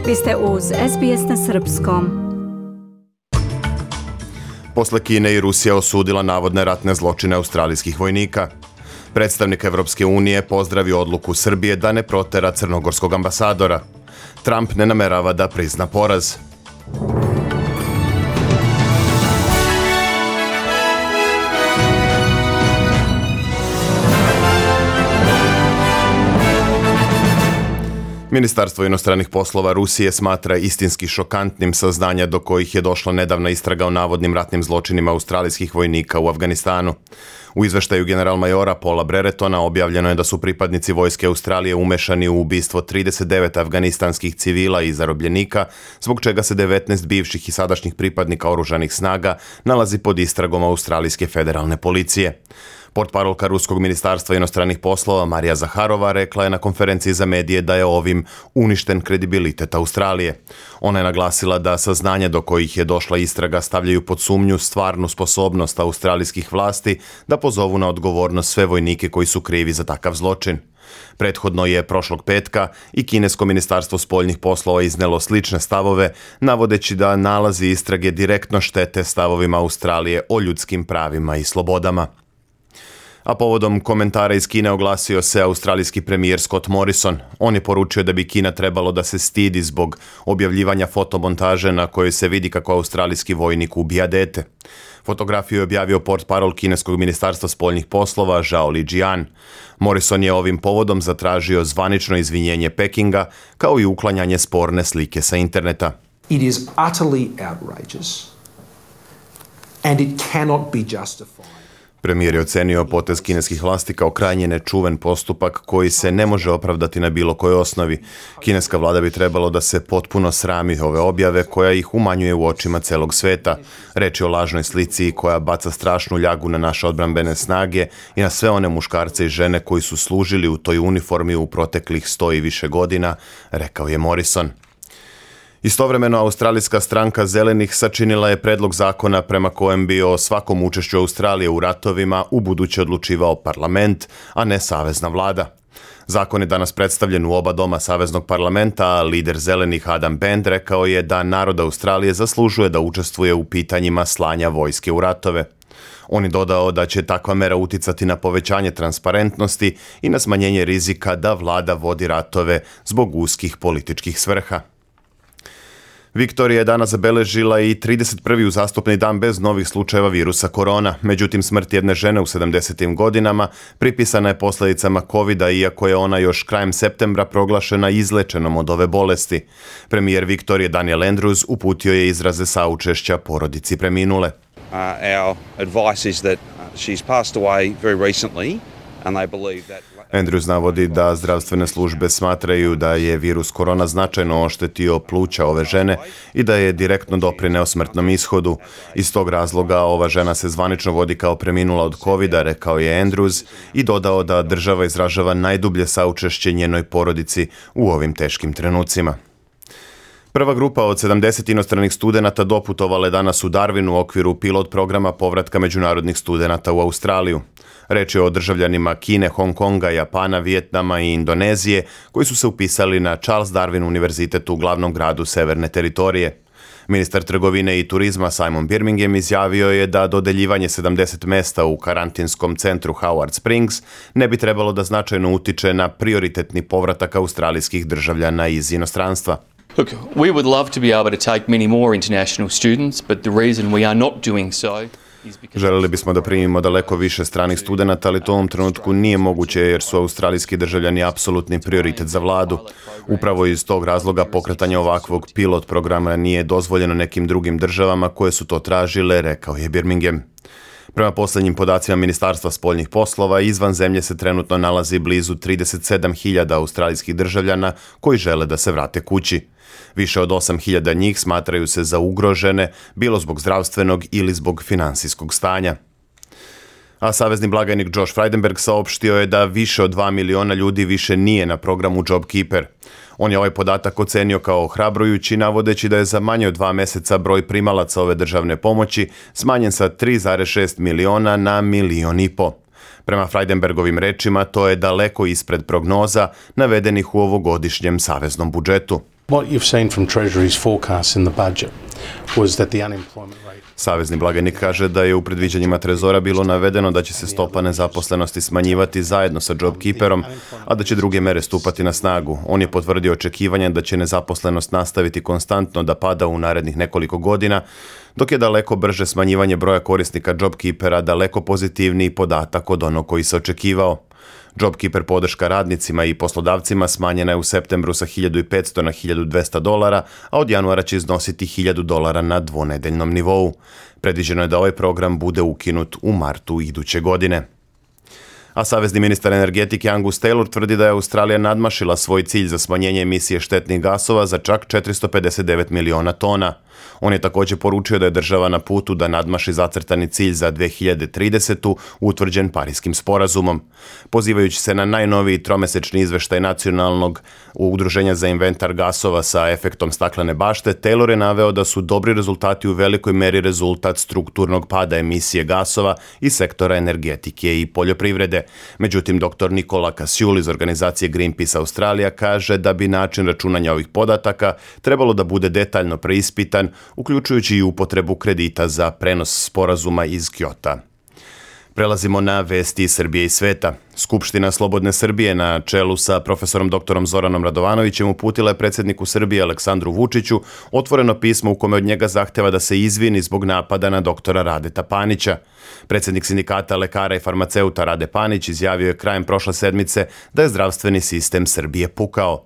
Vi ste uz SBS na srpskom. Posle Kine i Rusija osudila navodne ratne zločine australijskih vojnika. Predstavnik Evropske unije pozdravio odluku Srbije da ne protera crnogorskog ambasadora. Trump ne namerava da prizna poraz. Ministarstvo inostranih poslova Rusije smatra istinski šokantnim saznanja do kojih je došla nedavna istraga o navodnim ratnim zločinima australijskih vojnika u Afganistanu. U izveštaju general-majora Paula Breretona objavljeno je da su pripadnici vojske Australije umešani u ubistvo 39 afganistanskih civila i zarobljenika, zbog čega se 19 bivših i sadašnjih pripadnika oružanih snaga nalazi pod istragom australijske federalne policije. Portparolka Ruskog ministarstva inostranih poslova Marija Zaharova rekla je na konferenciji za medije da je ovim uništen kredibilitet Australije. Ona je naglasila da saznanja do kojih je došla istraga stavljaju pod sumnju stvarnu sposobnost australijskih vlasti da pozovu na odgovornost sve vojnike koji su krivi za takav zločin. Prethodno je prošlog petka i kinesko ministarstvo spoljnih poslova iznelo slične stavove, navodeći da nalazi istrage direktno štete stavovima Australije o ljudskim pravima i slobodama. A povodom komentara iz Kine oglasio se australijski premijer Scott Morrison. On je poručio da bi Kina trebalo da se stidi zbog objavljivanja fotomontaže na kojoj se vidi kako australijski vojnik ubija dete. Fotografiju je objavio portparol kineskog ministarstva spoljnih poslova Zhao Lijian. Morrison je ovim povodom zatražio zvanično izvinjenje Pekinga, kao i uklanjanje sporne slike sa interneta. It is utterly outrageous and it cannot be justified. Premijer je ocenio potez kineskih vlasti kao krajnje nečuven postupak koji se ne može opravdati na bilo kojoj osnovi. Kineska vlada bi trebalo da se potpuno srami ove objave koja ih umanjuje u očima celog sveta. Reč je o lažnoj slici koja baca strašnu ljagu na naše odbrambene snage i na sve one muškarce i žene koji su služili u toj uniformi u proteklih 100 i više godina, rekao je Morrison. Istovremeno, australijska stranka Zelenih sačinila je predlog zakona prema kojem bi o svakom učešću Australije u ratovima ubuduće odlučivao parlament, a ne savezna vlada. Zakon je danas predstavljen u oba doma saveznog parlamenta, a lider Zelenih Adam Bend rekao je da narod Australije zaslužuje da učestvuje u pitanjima slanja vojske u ratove. On je dodao da će takva mera uticati na povećanje transparentnosti i na smanjenje rizika da vlada vodi ratove zbog uskih političkih svrha. Viktorija je danas zabeležila i 31. uzastopni dan bez novih slučajeva virusa korona. Međutim, smrt jedne žene u 70. godinama pripisana je posljedicama COVID-a, iako je ona još krajem septembra proglašena izlečenom od ove bolesti. Premijer Viktorije Daniel Andrews uputio je izraze saučešća porodici preminule. Our advice is that she's passed away very recently and they believe that Andrews navodi da zdravstvene službe smatraju da je virus korona značajno oštetio pluća ove žene i da je direktno doprineo smrtnom ishodu. Iz tog razloga ova žena se zvanično vodi kao preminula od COVID-a, rekao je Andrews i dodao da država izražava najdublje saučešće njenoj porodici u ovim teškim trenucima. Prva grupa od 70 inostranih studenata doputovala je danas u Darwin u okviru pilot programa povratka međunarodnih studenata u Australiju. Reč je o državljanima Kine, Hong Konga, Japana, Vijetnama i Indonezije koji su se upisali na Charles Darwin univerzitetu u glavnom gradu Severne teritorije. Ministar trgovine i turizma Simon Birmingham izjavio je da dodeljivanje 70 mesta u karantinskom centru Howard Springs ne bi trebalo da značajno utiče na prioritetni povratak australijskih državljana iz inostranstva. Look, we would love to be able to take many more international students, but the reason we are not doing so. Želeli bismo da primimo daleko više stranih studenata, ali to u ovom trenutku nije moguće jer su australijski državljani apsolutni prioritet za vladu. Upravo iz tog razloga pokretanje ovakvog pilot programa nije dozvoljeno nekim drugim državama koje su to tražile, rekao je Birmingham. Prema posljednjim podacima Ministarstva spoljnih poslova, izvan zemlje se trenutno nalazi blizu 37.000 australijskih državljana koji žele da se vrate kući. Više od 8.000 njih smatraju se za ugrožene, bilo zbog zdravstvenog ili zbog finansijskog stanja. A savezni blagajnik Josh Frydenberg saopštio je da više od 2 miliona ljudi više nije na programu JobKeeper. On je ovaj podatak ocenio kao ohrabrujući, navodeći da je za manje od 2 meseca broj primalaca ove državne pomoći smanjen sa 3,6 miliona na 1,5 miliona. Prema Frydenbergovim rečima, to je daleko ispred prognoza navedenih u ovogodišnjem saveznom budžetu. What you've seen from Treasury's forecast in the budget was that the unemployment rate. Savezni blagajnik kaže da je u predviđanjima Trezora bilo navedeno da će se stopa nezaposlenosti smanjivati zajedno sa JobKeeperom, a da će druge mere stupati na snagu. On je potvrdio očekivanje da će nezaposlenost nastaviti konstantno da pada u narednih nekoliko godina, dok je daleko brže smanjivanje broja korisnika JobKeepera daleko pozitivniji podatak od onog koji se očekivao. JobKeeper podrška radnicima i poslodavcima smanjena je u septembru sa $1.500 na $1.200, a od januara će iznositi $1.000 na dvonedeljnom nivou. Predviđeno je da ovaj program bude ukinut u martu iduće godine. A savezni ministar energetike Angus Taylor tvrdi da je Australija nadmašila svoj cilj za smanjenje emisije štetnih gasova za čak 459 miliona tona. On je također poručio da je država na putu da nadmaši zacrtani cilj za 2030. utvrđen Parijskim sporazumom. Pozivajući se na najnoviji tromesečni izveštaj Nacionalnog udruženja za inventar gasova sa efektom staklene bašte, Taylor je naveo da su dobri rezultati u velikoj meri rezultat strukturnog pada emisije gasova iz sektora energetike i poljoprivrede. Međutim, dr. Nikola Kasiul iz organizacije Greenpeace Australija kaže da bi način računanja ovih podataka trebalo da bude detaljno preispitan, uključujući i upotrebu kredita za prenos sporazuma iz Kyota. Prelazimo na vesti iz Srbije i sveta. Skupština Slobodne Srbije na čelu sa profesorom dr. Zoranom Radovanovićem uputila je predsjedniku Srbije Aleksandru Vučiću otvoreno pismo u kome od njega zahteva da se izvini zbog napada na doktora Radeta Panića. Predsjednik sindikata lekara i farmaceuta Rade Panić izjavio je krajem prošle sedmice da je zdravstveni sistem Srbije pukao.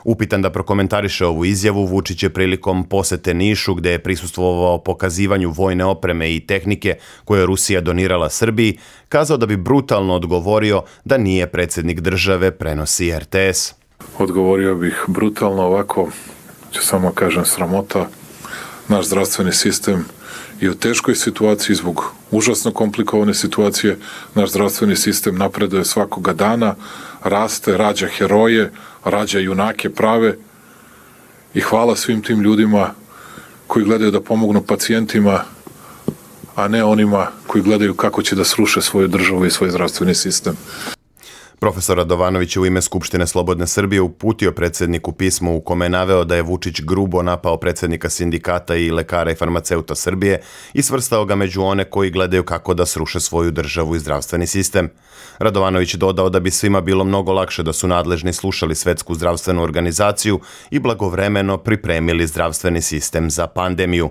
Upitan da prokomentariše ovu izjavu, Vučić je prilikom posete Nišu, gde je prisustvovao pokazivanju vojne opreme i tehnike koje je Rusija donirala Srbiji, kazao da bi brutalno odgovorio da nije predsjednik države, prenosi RTS. Odgovorio bih brutalno ovako, ću samo kažem sramota, naš zdravstveni sistem je u teškoj situaciji zbog užasno komplikovane situacije, naš zdravstveni sistem napreduje svakoga dana, raste, rađa heroje, rađa junake prave i hvala svim tim ljudima koji gledaju da pomognu pacijentima, a ne onima koji gledaju kako će da sruše svoju državu i svoj zdravstveni sistem. Profesor Radovanović je u ime Skupštine Slobodne Srbije uputio predsjedniku pismo u kome je naveo da je Vučić grubo napao predsjednika sindikata i lekara i farmaceuta Srbije i svrstao ga među one koji gledaju kako da sruše svoju državu i zdravstveni sistem. Radovanović je dodao da bi svima bilo mnogo lakše da su nadležni slušali Svetsku zdravstvenu organizaciju i blagovremeno pripremili zdravstveni sistem za pandemiju.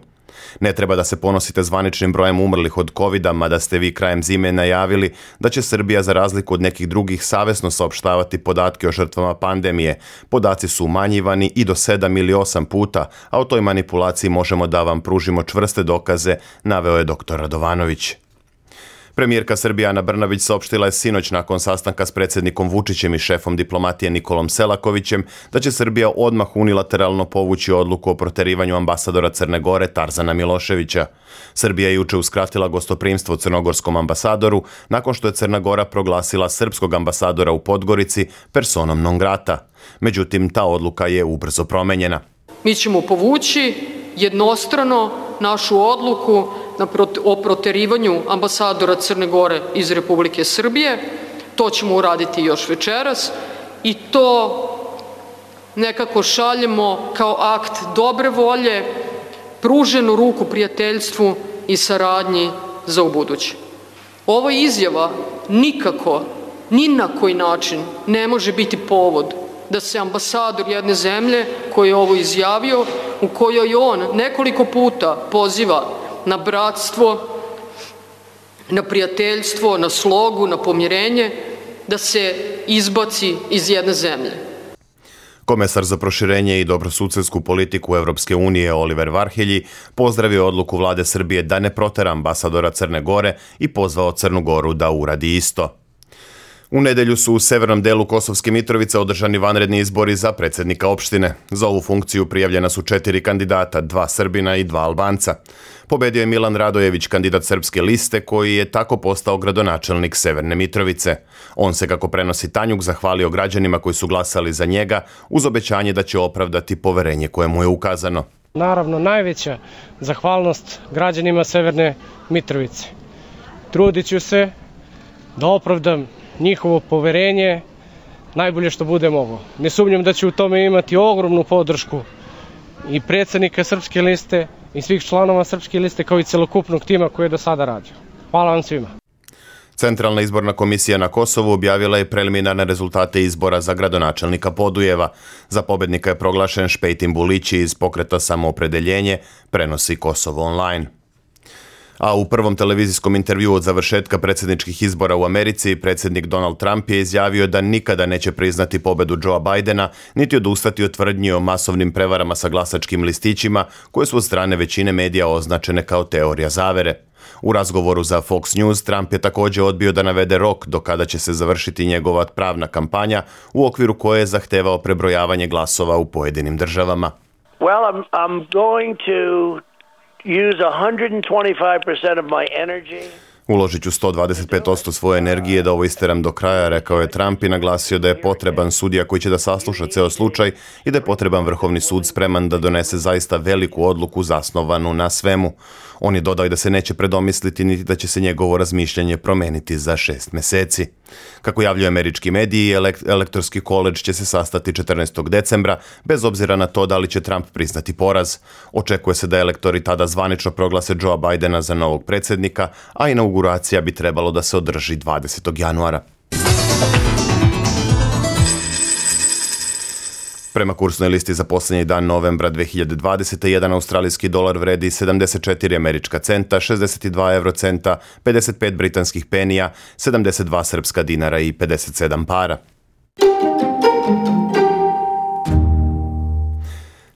Ne treba da se ponosite zvaničnim brojem umrlih od covida, mada ste vi krajem zime najavili da će Srbija za razliku od nekih drugih savesno saopštavati podatke o žrtvama pandemije. Podaci su umanjivani i do 7 ili 8 puta, a o toj manipulaciji možemo da vam pružimo čvrste dokaze, naveo je dr. Radovanović. Premijerka Srbije Ana Brnabić saopštila je sinoć nakon sastanka s predsjednikom Vučićem i šefom diplomatije Nikolom Selakovićem da će Srbija odmah unilateralno povući odluku o proterivanju ambasadora Crne Gore Tarzana Miloševića. Srbija je juče uskratila gostoprimstvo crnogorskom ambasadoru nakon što je Crna Gora proglasila srpskog ambasadora u Podgorici personom non grata. Međutim, ta odluka je ubrzo promenjena. Mi ćemo povući jednostrano našu odluku o proterivanju ambasadora Crne Gore iz Republike Srbije. To ćemo uraditi još večeras i to nekako šaljemo kao akt dobre volje, pruženu ruku prijateljstvu i saradnji za ubuduće. Ova izjava nikako, ni na koji način ne može biti povod da se ambasador jedne zemlje koji je ovo izjavio, u kojoj on nekoliko puta poziva na bratstvo, na prijateljstvo, na slogu, na pomirenje, da se izbaci iz jedne zemlje. Komesar za proširenje i dobrosusedsku politiku Evropske unije Oliver Varhelji pozdravio odluku vlade Srbije da ne protera ambasadora Crne Gore i pozvao Crnu Goru da uradi isto. U nedelju su u severnom delu Kosovske Mitrovice održani vanredni izbori za predsjednika opštine. Za ovu funkciju prijavljena su 4 kandidata, 2 Srbina i 2 Albanca. Pobedio je Milan Radojević, kandidat Srpske liste, koji je tako postao gradonačelnik Severne Mitrovice. On se, kako prenosi Tanjug, zahvalio građanima koji su glasali za njega uz obećanje da će opravdati poverenje koje mu je ukazano. Naravno, najveća zahvalnost građanima Severne Mitrovice. Trudit ću se da opravdam njihovo poverenje najbolje što bude mogo. Ne sumnjam da ću u tome imati ogromnu podršku i predsjednika Srpske liste i svih članova Srpske liste kao i celokupnog tima koji je do sada radio. Hvala vam svima. Centralna izborna komisija na Kosovu objavila je preliminarne rezultate izbora za gradonačelnika Podujeva. Za pobednika je proglašen Špejtin Bulići iz pokreta Samoopredeljenje, prenosi Kosovo online. A u prvom televizijskom intervjuu od završetka predsjedničkih izbora u Americi, predsjednik Donald Trump je izjavio da nikada neće priznati pobedu Joea Bidena, niti odustati od tvrdnji o masovnim prevarama sa glasačkim listićima, koje su od strane većine medija označene kao teorija zavere. U razgovoru za Fox News, Trump je također odbio da navede rok do kada će se završiti njegova pravna kampanja, u okviru koje je zahtevao prebrojavanje glasova u pojedinim državama. Well, I'm going to use 125% of my energy. Uložit ću 125% svoje energije da ovo isteram do kraja, rekao je Trump i naglasio da je potreban sudija koji će da sasluša ceo slučaj i da je potreban Vrhovni sud spreman da donese zaista veliku odluku zasnovanu na svemu. On je dodao i da se neće predomisliti niti da će se njegovo razmišljanje promeniti za 6 meseci. Kako javljaju američki mediji, elektorski koledž će se sastati 14. decembra, bez obzira na to da li će Trump priznati poraz. Očekuje se da elektori tada zvanično proglase Joea Bidena za novog predsjednika, a inauguracija bi trebalo da se održi 20. januara. Prema kursnoj listi za posljednji dan novembra 2020. jedan australijski dolar vredi 74 američka centa, 62 eurocenta, 55 britanskih penija, 72 srpska dinara i 57 para.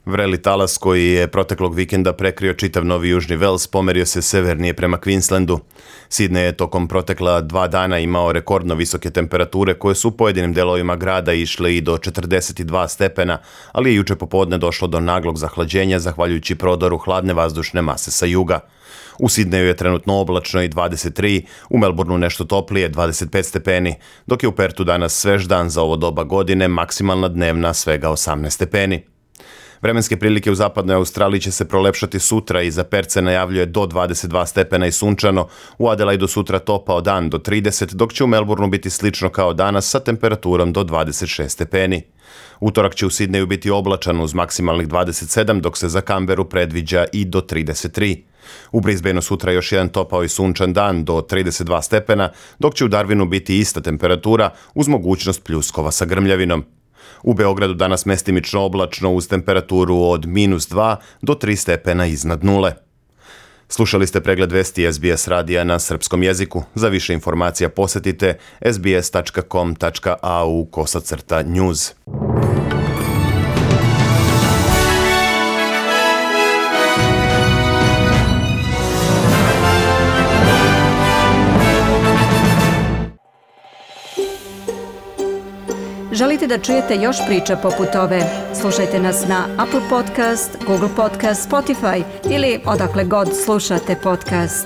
Vreli talas koji je proteklog vikenda prekrio čitav Novi Južni Vels pomerio se severnije prema Queenslandu. Sydney je tokom protekla 2 dana imao rekordno visoke temperature koje su u pojedinim delovima grada išle i do 42 stepena, ali je juče popodne došlo do naglog zahlađenja zahvaljujući prodoru hladne vazdušne mase sa juga. U Sydneyu je trenutno oblačno i 23, u Melbourneu nešto toplije 25 stepeni, dok je u Pertu danas svež dan za ovo doba godine, maksimalna dnevna svega 18 stepeni. Vremenske prilike u zapadnoj Australiji će se prolepšati sutra i za Perth se najavljuje do 22 stepena i sunčano, u Adelaidu sutra topao dan do 30, dok će u Melbourneu biti slično kao danas sa temperaturom do 26 stepeni. Utorak će u Sydneyu biti oblačan uz maksimalnih 27, dok se za Canberru predviđa i do 33. U Brisbaneu sutra još jedan topao i sunčan dan do 32 stepena, dok će u Darwinu biti ista temperatura uz mogućnost pljuskova sa grmljavinom. U Beogradu danas mestimično oblačno uz temperaturu od -2 do 3 stepena iznad nule. Slušali ste pregled vesti SBS radija na srpskom jeziku. Za više informacija posjetite sbs.com.au/news. Želite da čujete još priča poput ove? Slušajte nas na Apple Podcast, Google Podcast, Spotify ili odakle god slušate podcast.